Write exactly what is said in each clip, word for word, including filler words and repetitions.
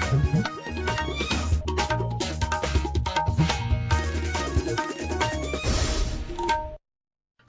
Kane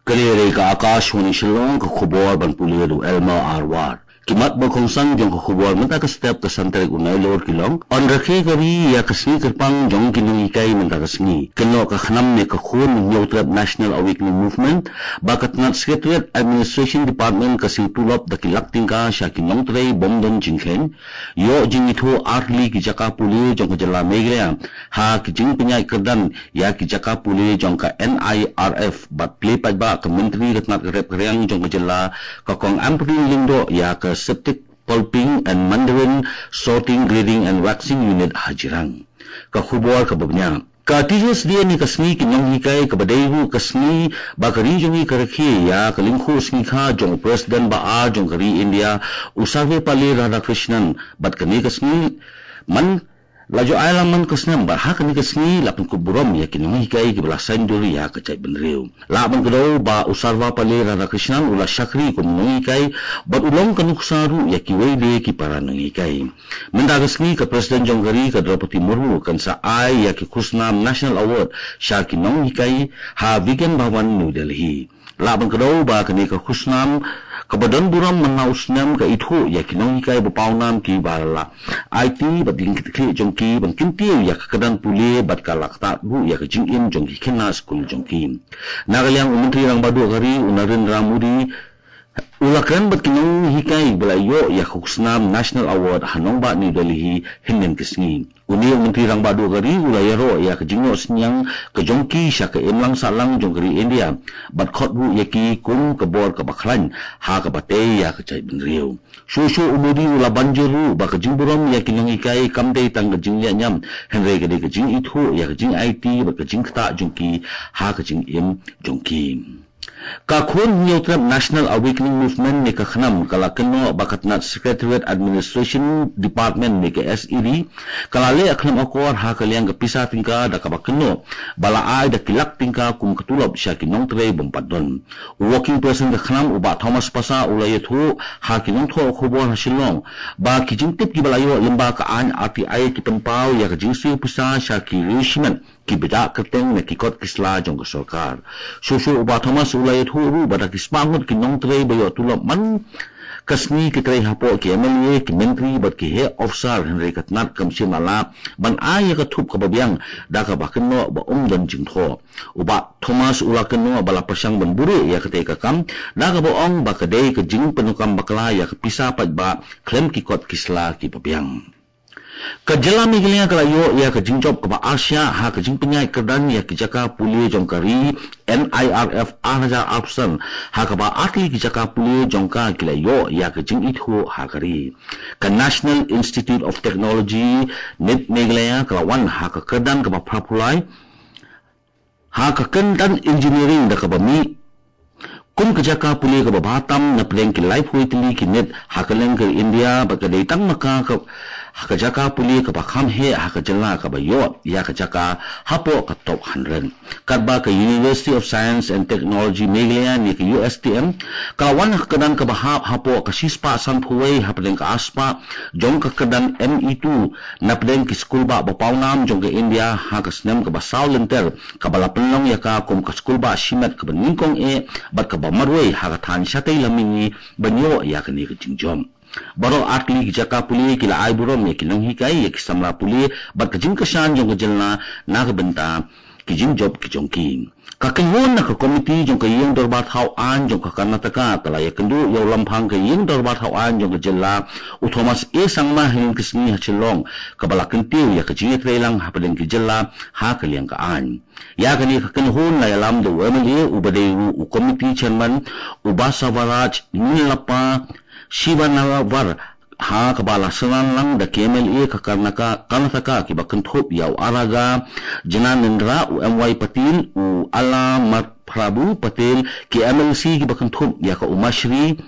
dei ka Akashvani Shillong, ka khubor ban pule da u Elmer Arwar. Ki mat ba kongsan jong ka khubor mynta ka step ka san tarik u Nailur ki long: Yn rakhe ka ri ïa ka sngi kyrpang jong ki nonghikai mynta ka sngi. Kynnoh ka KHNAM ne ka Khun Hynñiewtrep National Awakening Movement ba ka tnat Secretariat Administration Department ka siew tulop da ki lak tyngka sha ki nongtrei bym don jingkheiñ. Ïoh jingithuh ar tylli ki jaka pule jong ka jylla Meghalaya ha ki jingpynïaid kyrdan ïa ki jaka pule jong ka NIRF bad plie paidbah ka Myntri ka tnat ka rep ka riang jong ka jylla, ka Kong Ampareen Lyngdoh, ïa ka Septic Pulping and Mandarin Sorting, Grading and Waxing Unit ha Jirang. Ka khubor kaba bniah. Ka Teachers' Day ne ka sngi ki nonghikai kaba dei ruh ka sngi ba ka ri jong ngi ka rakhe ïa ka lyngkhuh sngi kha jong u President ba ar jong ka ri India, u Sarvepalli Radhakrishnan, bad kane ka sngi man la ju ai lang man ka snem, bad ha kane ka sngi la pynkup burom ïa ki nonghikai kiba la saiñdur ïa ka jaitbynriew. Lah ban kdew ba u Sarvepalli Radhakrishnan u la shakri kum u nonghikai bad u long ka nuksa ruh ïa kiwei de ki para nonghikai. Mynta ka sngi ka President jong ka ri, ka Droupadi Murmu, kan sa ai ïa ki khusnam National Award sha ki nonghikai ha Vigyan Bhawan, New Delhi. Lah ban kdew ba kane ka khusnam kaba don burom man la u snem ka ithuh ïa ki nonghikai ba pawnam kiba la aiti bad ïa ki kti jong ki ban kyntiew ïa ka kyrdan pule bad ka la ktah ruh ïa ka jingim jong ki khynnah skul jong ki. Na ka liang u Myntri Rangbah Duh ka ri, u Narendra Modi, u la kren bad ki nonghikai ba la ïoh ïa ka khusnam National Award ha nongbah New Delhi hynnin ka sngi. Une u Myntri Rangbah Duh ka ri u la ïaroh ïa ka jingnoh synñiang ka jong ki sha ka imlang sahlang jong ka ri India bad khot ruh ïa ki kum ka bor kaba khlaiñ ha kaba tei ïa ka jaitbynriew. Shuh shuh u Modi u la ban jur ruh ba ka jingburom ïa ki nonghikai kam dei tang ka jingleh niam, hynrei ka dei ka jingithuh ïa ka jingaiti bad ka jingktah jong ki ha ka jingim jong ki. Ka Khun Hynñiewtrep National Awakening Movement ne ka KHNAM ka la kynnoh ba ka tnat Secretariat Administration Department ne ka SED ka la leh khlem akor ha ka liang ka pisa tyngka da kaba kynnoh ba la ai da ki lak tyngka kum ka tulop sha ki nongtrei bym pat don. U Working President ka KHNAM, u Bah Thomas Passah, u la ïathuh ha ki nongthoh khubor ha Shillong ba ki jingtip kiba la ïoh lyngba ka aiñ RTI ki pynpaw ïa ka jingsiew pisa sha ki riew shimet kiba ïaid kyrteng na ki kot ki sla jong ka sorkar. Shuh shuh u Bah Thomas u la ïathuh ruh ba da ki spah ngut ki nongtrei ba ïoh tulop man ka sngi ki trei hapoh ki MLA, ki myntri bad ki heh officer, hynrei ka tnat kam shym la lah ban ai ïa ka thup kaba biang da kaba kynnoh ba ym don jingthoh. U Bah Thomas u la kynnoh ba la pyrshang ban buhrieh ïa katei ka kam da kaba ong ba ka dei ka jingpyndonkam bakla ïa ka pisa paidbah khlem ki kot ki sla kiba biang. Ka jylla Meghalaya ka la ïoh ïa ka jingjop kaba arshah ha ka jingpynïaid kyrdan ïa ki jaka pule jong ka ri, NIRF ar hajar arphew san, ha kaba ar tylli ki jaka pule jong ka ki la ïoh ïa ka jingithuh ha ka ri. Ka National Institute of Technology, NIT Meghalaya, ka la wan ha ka kyrdan kaba phra phew lai ha ka kyrdan engineering da kaba mih kum ka jaka pule kaba bha tam na pdeng ki laiphew tylli ki NIT ha kylleng ka India, bad ka dei tang ma ka ka ha ka jaka pule kaba kham heh ha ka jylla kaba ïoh ïa ka jaka hapoh ka top hundred. Katba ka University of Science and Technology Meghalaya ne ka USTM ka la wan ha ka kyrdan kaba hap hapoh ka shispah sanphew wei hapdeng ka arspah jong ka kyrdan ME two na pdeng ki skulbah ba pawnam jong ka India ha ka snem kaba saw lynter, kaba la pynlong ïa ka kum ka skulbah shimet kaba nyngkong eh bad kaba marwei ha ka thaiñ shatei lam mihngi ban ïoh ïa kane ka jingjop. Baroh ar tylli ki jaka pule ki la ai burom ïa ki nonghikai, ïa ki samla pule bad ka jingkyrshan jong ka jylla na ka bynta ki jingjop ki jong ki. Ka kynhun na ka komiti jong ka ïing dorbar thaw aiñ jong ka Karnataka ka la ïakynduh ïa u lamphang ka ïing dorbar thaw aiñ jong ka jylla, u Thomas A Sangma, hynnin ka sngi ha Shillong, kaba la kyntiew ïa ka jingïatreilang hapdeng ki jylla ha ka liang ka aiñ. Ïa kane ka kynhun la ïalam da u MLA uba dei ruh u komiti chairman, u Basavaraj Neelappa Shivanavar, ha kaba la synran lang da ki MLA ka Karnaka-, Karnataka kiba kynthup ïa u Aragga Jnanendra, u M Y Patil, u Allamadhiprabhu Patil, ki MLC kiba kynthup ïa ka Umashri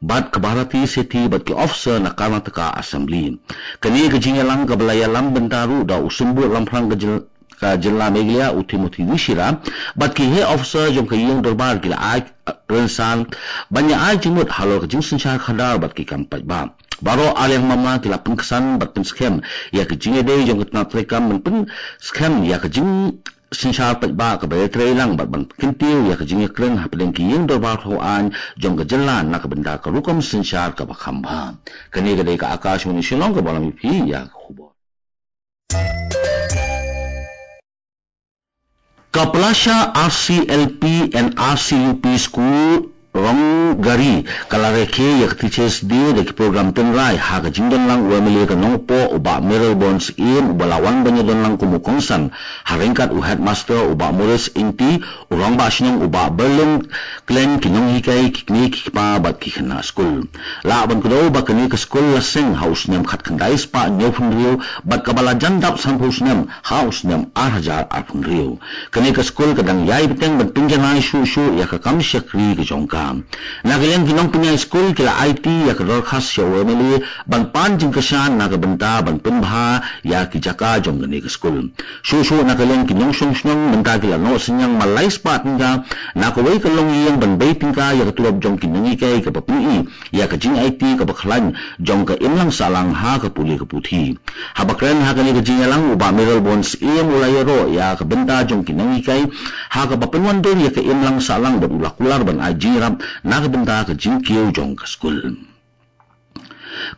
bad ka Bharati Shetty bad ki officer na Karnataka Assembly. Kane ka jingïalang kaba la ïalam bynta ruh da u Symbud Lamphrang ka jyl-, ka jylla Meghalaya, u Timothy D Shira, bad ki heh officer jong ka ïing dorbar ki la ai rynsan ban ïa ai jingmut halor ka jingsynshar khadar bad ki kam paidbah. Baroh arliang mamla ki la pynksan bad pynskhem ïa ka jingïadei jong ka tnat treikam ban pynskhem ïa ka jingsynshar paidbah kaba ïatrei lang bad ban kyntiew ïa ka jingïakren hapdeng ki ïing dorbar thaw aiñ jong ka jylla na ka bynta ka rukom synshar kaba kham bha. Kane ka dei ka Akashvani Shillong kaba lam ïa phi ïa ka khubor. Ka Palashah R C L P and R C U P School Ronggari ka la rakhe ïa ka Teachers Day da ki program tynrai ha ka jingdon lang u M L A ka Nongpoh u Bah Mayralborn Syiem uba la wan ban ïadon lang kum u kongsan ha ryngkat u Headmaster u Bah Maurice Ingti, u Rangbah Shnong u Bah Berlin Klen, ki nonghikai, ki kmie ki kpa bad ki khynnah skul. Lah ban kdew ba kane ka skul la seng ha u snem khatkhyndai spah hynñiewphew hynriew bad kaba la jan dap sanphew snem ha u snem ar hajar arphew hynriew. Kane ka skul ka dang ïai bteng ban pynjanai shuh shuh ïa ka kam shakri ka jong ka. Na ka liang ki nongpynïaid skul ki la aiti ïa ka dorkhas sha u M L A ban pan jingkyrshan na ka bynta ban pynbha ïa ki jaka jong kane ka skul. Shuh shuh na ka liang ki nongshong shnong mynta ki la noh synñiang ma lai spah tyngka na kawei ka longïing ban bei tyngka ïa ka tulop jong ki nonghikai kaba pyni ïa ka jingaiti kaba khlaiñ jong ka imlang sahlang ha ka pule ka puthi. Haba kren ha kane ka jingïalang u Bah Mayralborn Syiem u la ïaroh ïa ka bynta jong ki nonghikai ha kaba pynwandur ïa ka imlang sahlang bad u la kular ban ai jingïarap na ka bynta ka jingkiew jong ka skul.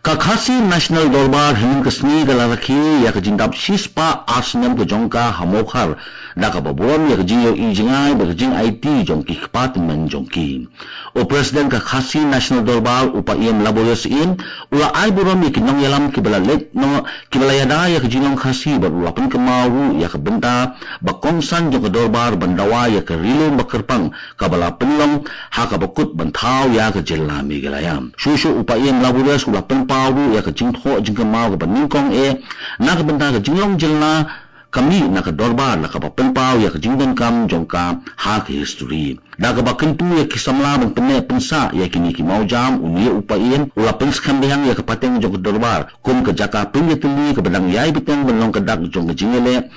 Ka Khasi National Dorbar hynnin ka sngi ka la rakhe ïa ka jingdap shispah ar snem ka jong ka ha Mawkhar da kaba burom ïa ka jingïohi jngai bad ka jingaiti jong ki kpa tymmen jong ki. U President ka Khasi National Dorbar u Paiem Laborious Syiem u la ai burom ïa ki nongïalam kiba la leit noh kiba la ïada ïa ka jinglong Khasi bad u la pynkynmaw ruh ïa ka bynta ba kongsan jong ka dorbar ban dawa ïa ka ri lum ba kyrpang kaba la pynlong ha kaba kut ban thaw ïa ka jylla Meghalaya. Shuh shuh u Paiem Laborious u la pynpaw ruh ïa ka jingthoh jingkynmaw kaba nyngkong eh na ka bynta ka jinglong jylla ka mih na ka dorbar na kaba pynpaw ïa ka jingdonkam jong ka ha ka history. Da kaba kyntu ïa ki samla ban pynneh pynsah ïa kine ki mawjam, une u Paiem u la pynskhem biang ïa ka pateng jong ka dorbar kum ka jaka pynïatylli kaba dang ïai bteng ban long ka dak jong ka jingïaleh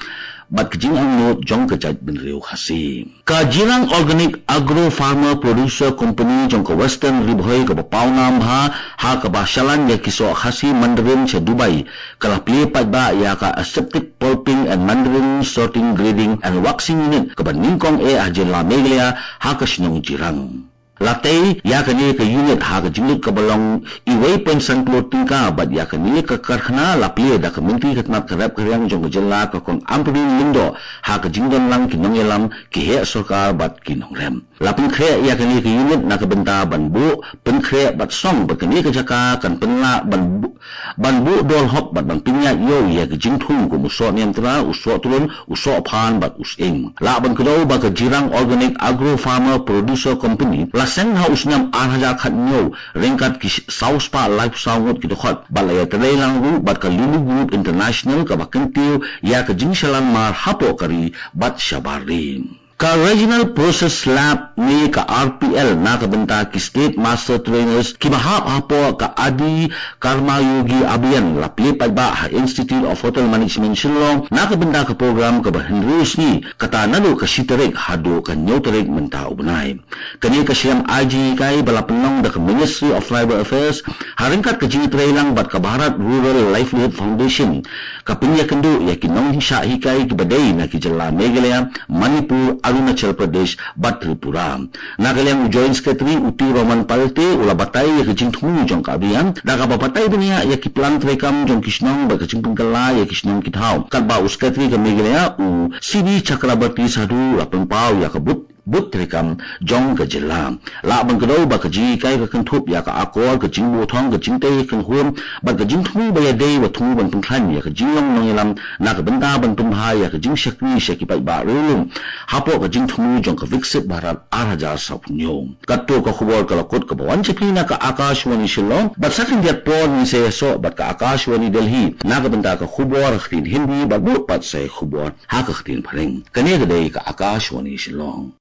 bad ka jingangnud jong ka jaitbynriew Khasi. Ka Jirang Organic Agro Farmer Producer Company jong ka Western Ri Bhoi kaba pawnam bha ha kaba shalan ïa ki soh Khasi Mandarin sha Dubai ka la plie paidbah ïa ka Aseptic Pulping and Mandarin Sorting, Grading and Waxing Unit kaba nyngkong eh ha jylla Meghalaya ha ka shnong Jirang. La tei ïa kane ka unit ha ka jinglut kaba long uwei point san klur tyngka bad ïa kane ka karkhana la plie da ka Myntri ka tnat ka rep ka riang jong ka jylla ka Kong Ampareen Lyngdoh ha ka jingdon lang ki nongïalam, ki heh sorkar bad ki nongrep. La pynkhreh ïa kane ka unit na ka bynta ban buh pynkhreh bad song ba kane ka jaka kan pynlah ban bu- ban buh dor hok bad ban pynïaid ïew ïa ka jingthung kum u soh niamtra, u soh trun, u soh phan bad u sying. Lah ban kdew ba ka Jirang Organic Agro Farmer Producer Company la seng ha u snem ar hajar khathynñiew ryngkat ki saw spah laiphew saw ngut ki dkhot bad la ïatrei lang ruh bad ka Lulu Group International kaba kyntiew ïa ka jingshalan mar hapoh ka ri bad shabar ri. Ka Regional Process Lab ne ka R P L na ka bynta ki State Master Trainers kiba hap hapoh ka Adi Karma Yogi Abhiyan la plie paidbah ha Institute of Hotel Management Shillong na ka bynta ka program kaba hynriew sngi, kata naduh ka shi tarik haduh ka hynñiew tarik mynta u bnai. Kane ka shlem ai jinghikai ba la pynlong da ka Ministry of Tribal Affairs ha ryngkat ka jingïatreilang bad ka Bharat Rural Livelihood Foundation ka pynïakynduh ïa ki nongshah hikai kiba dei na ki jylla Meghalaya, Manipur, Arunachal Pradesh bad Tripura. Na ka liang u Joint Secretary u T Roman Palte u la batai ïa ka jingthmu jong ka Abhiyan da kaba batai bniah ïa ki plan treikam jong ki shnong bad ka jingpynkylla ïa ki shnong ki thaw. Katba u Secretary ka Meghalaya u C D Chakrabarty Sadhu u la pynpaw ïa ka booth booth treikam jong ka jylla. Lah ban kdew ba ka jinghikai ka kynthup ïa ka akor, ka jingbuh thong, ka jingtei kynhun bad ka jingthmu ba ïadei ba thmu ban pynkhlaiñ ïa ka jinglong nongïalam na ka bynta ban pynbha ïa ka jingshakri sha ki paidbah riewlum hapoh ka jingthmu jong ka Viksit Bharat ar hajar sawphew hynñiew. Katto ka khubor ka la kut kaba wan sha phi na ka Akashvani Shillong bad sa khyndiat por ngin sa ïasoh bad ka Akashvani Delhi na ka bynta ka khubor ha ka ktien Hindi bad bud pat sa ïa khubor ha ka ktien Phareng. Kane ka dei ka Akashvani Shillong.